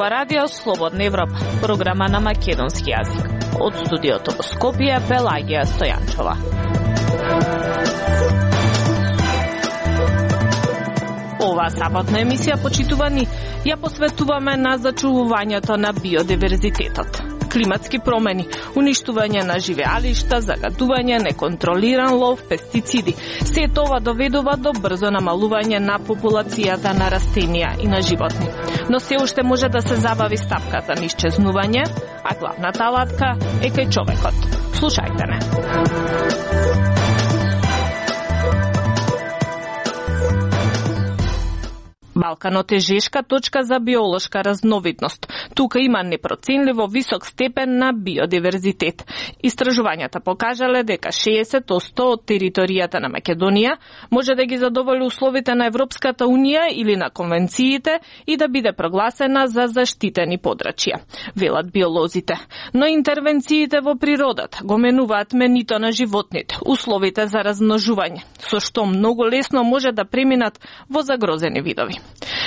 Ова радио Слободна Европа, програма на македонски јазик. Од студиото во Скопје, Пелагија Стојанчова. Ова саботна емисија, почитувани, ја посветуваме на зачувувањето на биодиверзитетот. Климатски промени, уништување на живеалишта, загадување, неконтролиран лов, пестициди. Се тоа доведува до брзо намалување на популацијата на растенија и на животни. Но се уште може да се забави стапката на исчезнување, а главната алатка е кај човекот. Слушајте не. Балканот е жешка точка за биолошка разновидност. Тука има непроценливо висок степен на биодиверзитет. Истражувањата покажале дека 60% од територијата на Македонија може да ги задоволи условите на Европската Унија или на конвенциите и да биде прогласена за заштитени подрачја, велат биолозите. Но интервенциите во природата го менуваат менито на животните, условите за размножување, со што многу лесно може да преминат во загрозени видови.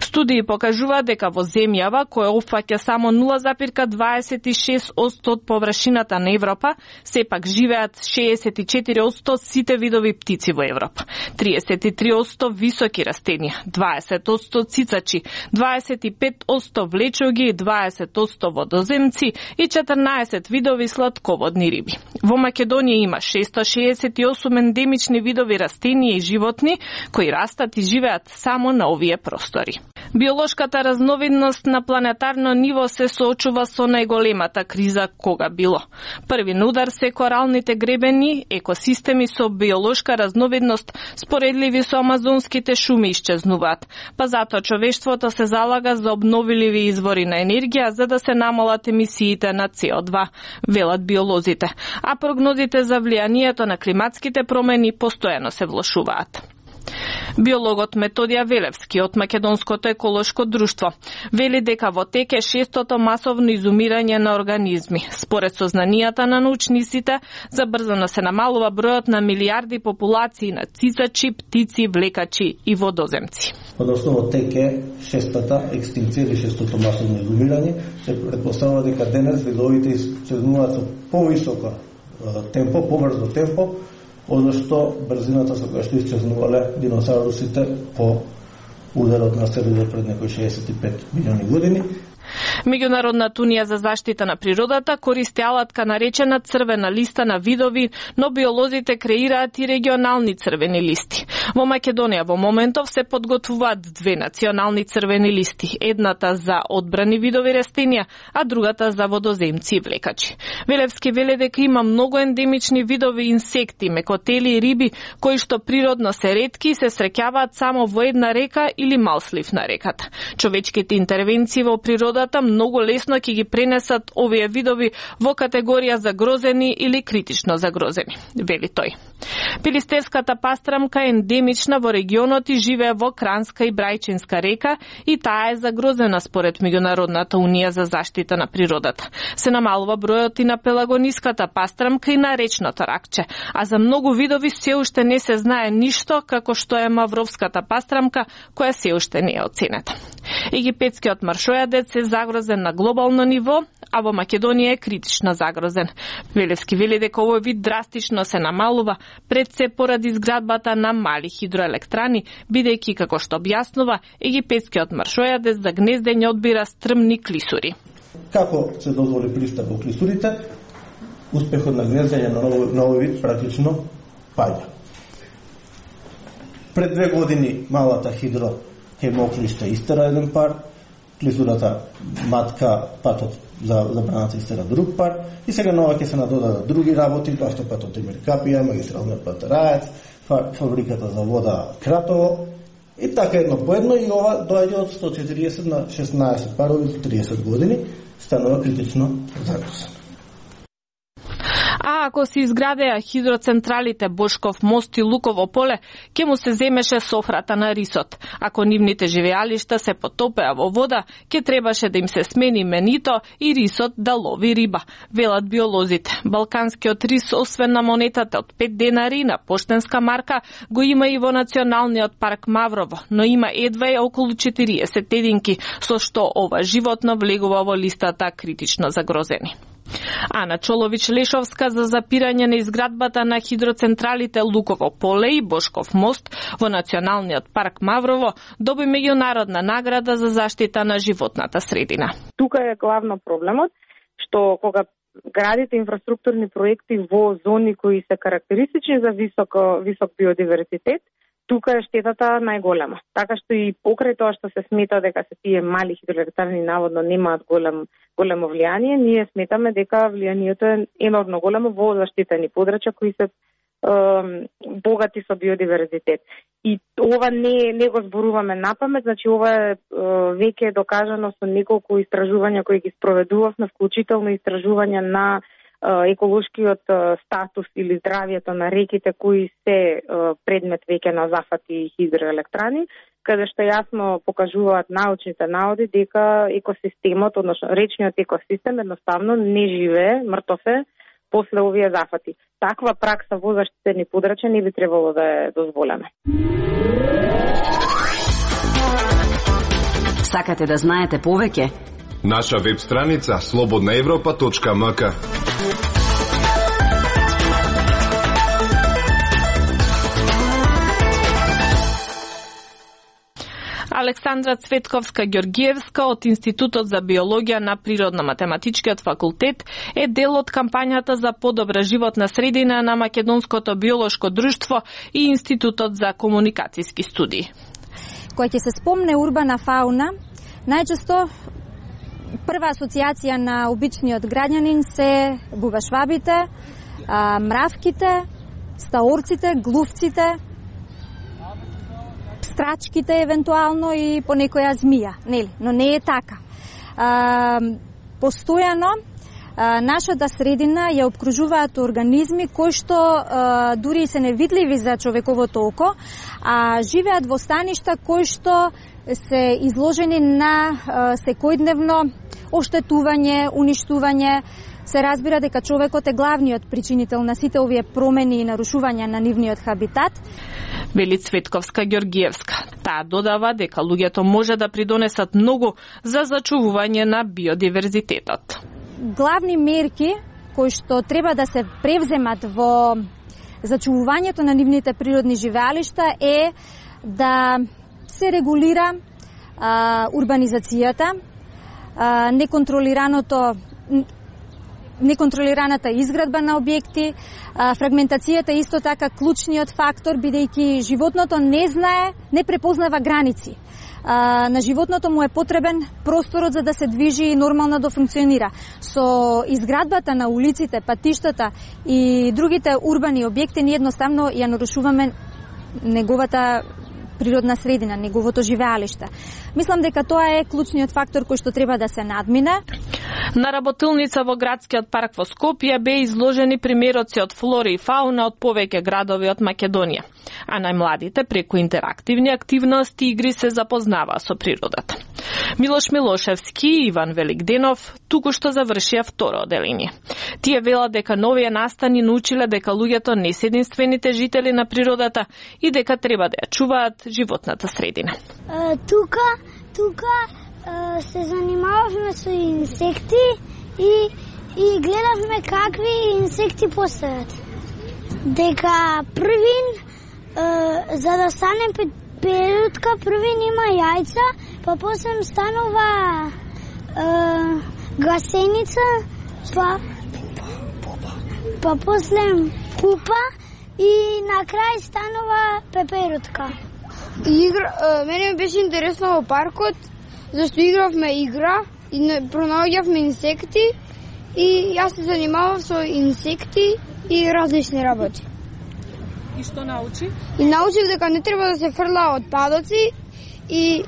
Студии покажуваат дека во земјава која опфаќа само 0,26% од површината на Европа, сепак живеат 64% сите видови птици во Европа, 33% високи растенија, 20% цицачи, 25% влечоги, 20% водоземци и 14 видови сладководни риби. Во Македонија има 668 ендемични видови растенија и животни кои растат и живеат само на овие простори. Биолошката разновидност на планетарно ниво се соочува со најголемата криза кога било. Први на удар се коралните гребени, екосистеми со биолошка разновидност споредливи со амазонските шуми исчезнуваат, па затоа човештвото се залага за обновливи извори на енергија за да се намалат емисиите на CO2, велат биолозите, а прогнозите за влијанието на климатските промени постојано се влошуваат. Биологот Методија Велевски од Македонското еколошко друштво вели дека во тек е 6-тото масовно изумирање на организми. Според сознанијата на научниците, забрзано се намалува бројот на милиарди популации на цицачи, птици, влекачи и водоземци. Односно во тек е 6-та екстинција или 6-тото масовно изумирање. Се претпоставува дека денес видовите исчезнуваат со повисоко темпо, побрзо темпо, одошто брзината со која што исчезнувале диносаурусите по ударот на астероидот пред некои 65 милиони години. Меѓународната унија за заштита на природата користи алатка наречена црвена листа на видови, но биолозите креираат и регионални црвени листи. Во Македонија во моментов се подготвуваат две национални црвени листи, едната за одбрани видови растенија, а другата за водоземци и влекачи. Велевски веле дека има многу ендемични видови инсекти, мекотели и риби кои што природно се ретки и се среќаваат само во една река или мал слив на реката. Човечките интервенции во природата многу лесно ќе ги пренесат овие видови во категорија загрозени или критично загрозени, вели тој. Пилистерската пастрамка е ендемична во регионот и живее во Кранска и Брајчинска река и таа е загрозена според Меѓународната унија за заштита на природата. Се намалува бројот и на пелагониската пастрамка и на речното ракче, а за многу видови се уште не се знае ништо, како што е мавровската пастрамка, која се уште не е оценета. Египетскиот маршојадец е загрозен на глобално ниво, а во Македонија е критично загрозен. Велевски вели дека овој вид драстично се намалува пред се поради изградбата на мали хидроелектрани, бидејќи, како што објаснува, египетскиот маршојадец за гнездење одбира стрмни клисури. Како се дозволи пристап во клисурите, успехот на гнездење на овој вид практично паѓа. Пред 2 години малата хидроклище истера еден пар, клисурата матка патот за забраната истера друг пар и сега нова ќе се надодадат други работи, тоа што патот Емиркапија, магистралниот пат Раец, фабриката за вода Кратово и така едно по едно и ова доаѓа од 140 на 16 парови до 30 години, станува критично загрозен. А ако се изградеа хидроцентралите Бошков мост и Луково поле, ќе му се земеше софрата на рисот. Ако нивните живеалишта се потопеа во вода, ќе требаше да им се смени именито и рисот да лови риба, велат биолозите. Балканскиот рис, освен на монетата од 5 денари на поштенска марка, го има и во Националниот парк Маврово, но има едва и околу 40 единки, со што ова животно влегува во листата критично загрозени. Ана Чолович-Лешовска за запирање на изградбата на хидроцентралите Луково поле и Бошков мост во Националниот парк Маврово доби меѓународна награда за заштита на животната средина. Тука е главно проблемот, што кога градите инфраструктурни проекти во зони кои се карактеристични за висок биодиверзитет, тука е штетата најголема. Така што и покрај тоа што се смета дека се тие мали хидроелектарни наводно немаат големо влијание, ние сметаме дека влијанието е енормно големо во заштитени подрачја кои се богати со биодиверзитет. И ова не го зборуваме напамет, значи ова е веќе докажано со неколку истражувања кои ги спроведувавме, вклучително истражувања на еколошкиот статус или здравјето на реките кои се предмет веќе на зафати хидроелектрани, каде што јасно покажуваат научните наводи дека екосистемот, односно речниот екосистем едноставно не живее, мртов е после овие зафати. Таква пракса во заштитени подрачја не би требало да е дозволена. Сакате да знаете повеќе? Наша веб страница slobodnaevropa.mk. Александра Цветковска-Ѓоргиевска од Институтот за биологија на Природно-математичкиот факултет е дел од кампањата за подобра животна средина на Македонското биолошко друштво и Институтот за комуникацијски студии. Кога ќе се спомне урбана фауна, најчесто прва асоциација на обичниот граѓанин се бубашвабите, мравките, стаорците, глувците, страчките евентуално и по некоја змија, нели? Но не е така. Постојано нашата средина ја обкружуваат организми кои што дури се невидливи за човековото око, а живеат во станишта кои што се изложени на секојдневно оштетување, уништување. Се разбира дека човекот е главниот причинител на сите овие промени и нарушувања на нивниот хабитат. Вели Цветковска-Ѓоргиевска. Таа додава дека луѓето може да придонесат многу за зачувување на биодиверзитетот. Главни мерки кои што треба да се превземат во зачувувањето на нивните природни живеалишта е да се регулира урбанизацијата, неконтролираната изградба на објекти, фрагментацијата е исто така клучниот фактор, бидејќи животното не препознава граници. На животното му е потребен просторот за да се движи и нормално да функционира. Со изградбата на улиците, патиштата и другите урбани објекти ние едноставно ја нарушуваме неговата природна средина, неговото живеалиште. Мислам дека тоа е клучниот фактор кој што треба да се надмине. На работилница во градскиот парк во Скопје беа изложени примероци од флора и фауна од повеќе градови од Македонија, а најмладите преку интерактивни активности и игри се запознаваа со природата. Милош Милошевски и Иван Великденов туку-што завршија второ оделение. Тие велат дека новите настани научиле дека луѓето не се единствените жители на природата и дека треба да ја чуваат животната средина. Тука се занимававме со инсекти и гледавме какви инсекти постојат. Дека првин, за да стане перутка, првин има јајца, па после станува гасеница, па после пупа и на крај станува пеперутка. Мене беше интересно во паркот, зашто игравме игра и пронаоѓавме инсекти и јас се занимавав со инсекти и различни работи. И што научи? И научив дека не треба да се фрла отпадоци и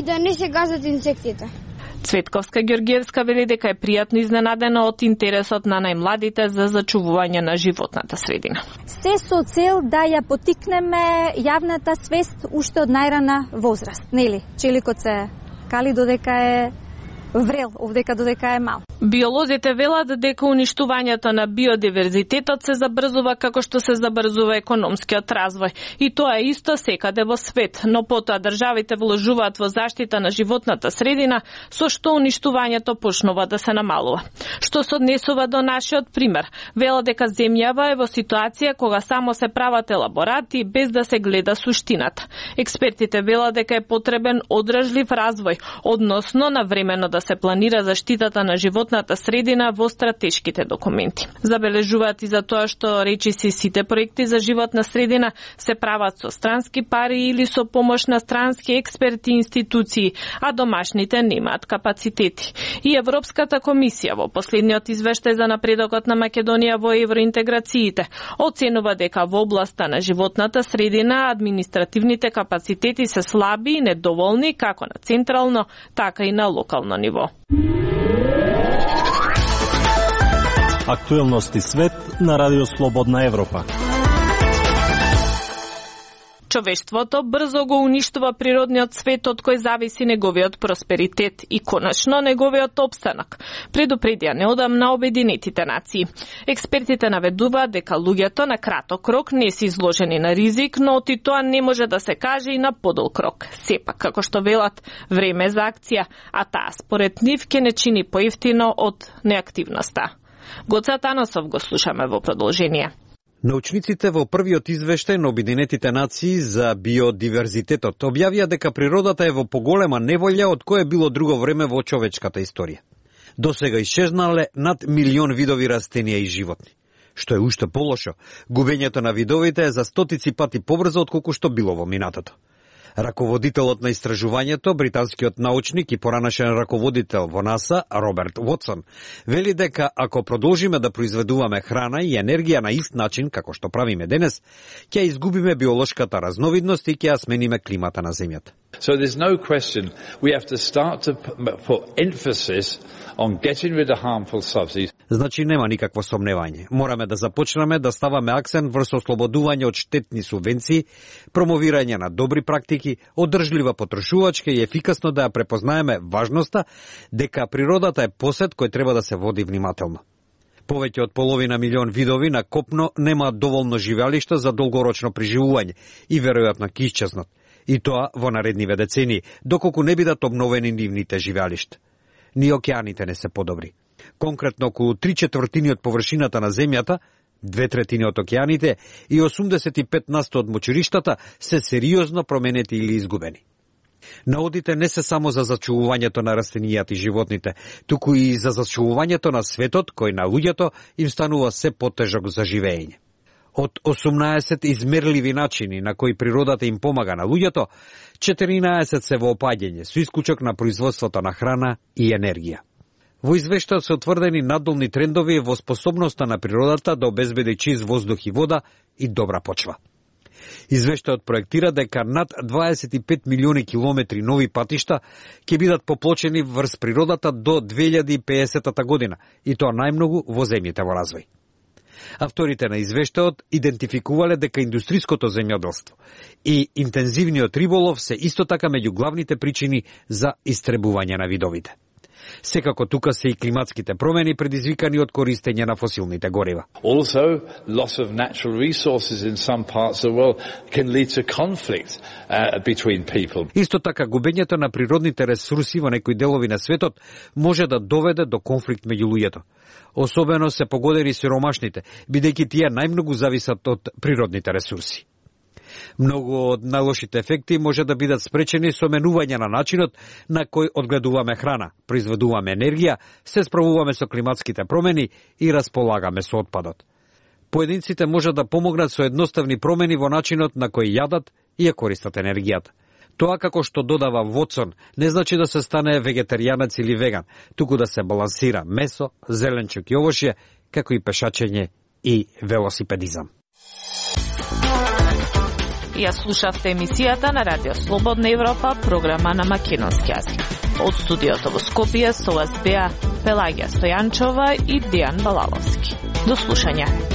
да не се газат инсектите. Цветковска Ѓорѓиевска вели дека е пријатно изненадена од интересот на најмладите за зачувување на животната средина. Се со цел да ја потикнеме јавната свест уште од најрана возраст, нели? Челикот се кали додека е врел, овдека додека е мал. Биолозите велат дека уништувањето на биодиверзитетот се забрзува како што се забрзува економскиот развој. И тоа е исто секаде во свет, но потоа државите вложуваат во заштита на животната средина, со што уништувањето почнува да се намалува. Што се однесува до нашиот пример, велат дека земјава е во ситуација кога само се прават елаборати без да се гледа суштината. Експертите велат дека е потребен одржлив развој, односно навремено да се планира заштитата на животната средина во стратешките документи. Забележуваат и за тоа што речиси сите проекти за животна средина се прават со странски пари или со помош на странски експерти и институции, а домашните немаат капацитети. И Европската комисија во последниот извештај за напредокот на Македонија во евроинтеграциите оценува дека во областа на животната средина административните капацитети се слаби и недоволни како на централно, така и на локално ниво. Актуелности свет на Радио Слободна Европа. Човештвото брзо го уништува природниот свет од кој зависи неговиот просперитет и конечно неговиот опстанок, предупредија неодамна Обединетите нации. Експертите наведуваат дека луѓето на краток рок не се изложени на ризик, но и тоа не може да се каже и на подолг рок. Сепак, како што велат, време за акција, а таа според нив ќе не чини поевтино од неактивноста. Гоца Таносов го слушаме во продолжение. Научниците во првиот извештај на Обединетите нации за биодиверзитетот објавија дека природата е во поголема неволја од кое било друго време во човечката историја. Досега исчезнале над 1 милион видови растенија и животни. Што е уште полошо, губењето на видовите е за стотици пати побрзо отколку што било во минатото. Раководителот на истражувањето, британскиот научник и поранашен раководител во НАСА, Роберт Вотсон, вели дека ако продолжиме да произведуваме храна и енергија на ист начин како што правиме денес, ќе изгубиме биолошката разновидност и ќе ја смениме климата на земјата. So there's no question we have to start to put emphasis on getting rid of harmful subsidies. Значи нема никакво сомневање. Мораме да започнеме да ставаме акцент врз ослободување од штетни субвенции, промовирање на добри практики, одржлива потрошувачка и ефикасно да ја препознаеме важноста дека природата е посет кој треба да се води внимателно. Повеќе од половина милион видови на копно немаат доволно живеалишта за долгорочно преживување и веројатно ќе исчезнат. И тоа во наредниве децении, доколку не бидат обновени нивните живеалишта. Ни океаните не се подобри. Конкретно околу 3/4 од површината на земјата, 2/3 од океаните и 85% од мочуриштата се сериозно променети или изгубени. Наодите не се само за зачувувањето на растенијата и животните, туку и за зачувувањето на светот кој на луѓето им станува се потежок за живење. Од 18 измерливи начини на кои природата им помага на луѓето, 14 се во опаѓање, со исклучок на производството на храна и енергија. Во извештајот се утврдени надолни трендови во способноста на природата да обезбеди чист воздух и вода и добра почва. Извештајот проектира дека над 25 милиони километри нови патишта ќе бидат поплочени врз природата до 2050 година, и тоа најмногу во земјите во развој. Авторите на извештајот идентификувале дека индустриското земјоделство и интензивниот риболов се исто така меѓу главните причини за истребување на видовите. Секако тука се и климатските промени предизвикани од користење на фосилните горива. Also, loss of natural resources in some parts of the world can lead to conflict between people. Исто така губењето на природните ресурси во некои делови на светот може да доведе до конфликт меѓу луѓето. Особено се погодени сиромашните, бидејќи тие најмногу зависат од природните ресурси. Многу од најлошите ефекти може да бидат спречени со менување на начинот на кој одгледуваме храна, произведуваме енергија, се справуваме со климатските промени и располагаме со отпадот. Поединците може да помогнат со едноставни промени во начинот на кој јадат и ја користат енергијата. Тоа, како што додава Вотсон, не значи да се стане вегетаријанец или веган, туку да се балансира месо, зеленчук и овошје, како и пешачење и велосипедизам. Ја слушавте емисијата на Радио Слободна Европа, програма на македонски јазик. Од студиото во Скопје со вас беа Пелагија Стојанчова и Дијан Балаловски. До слушање.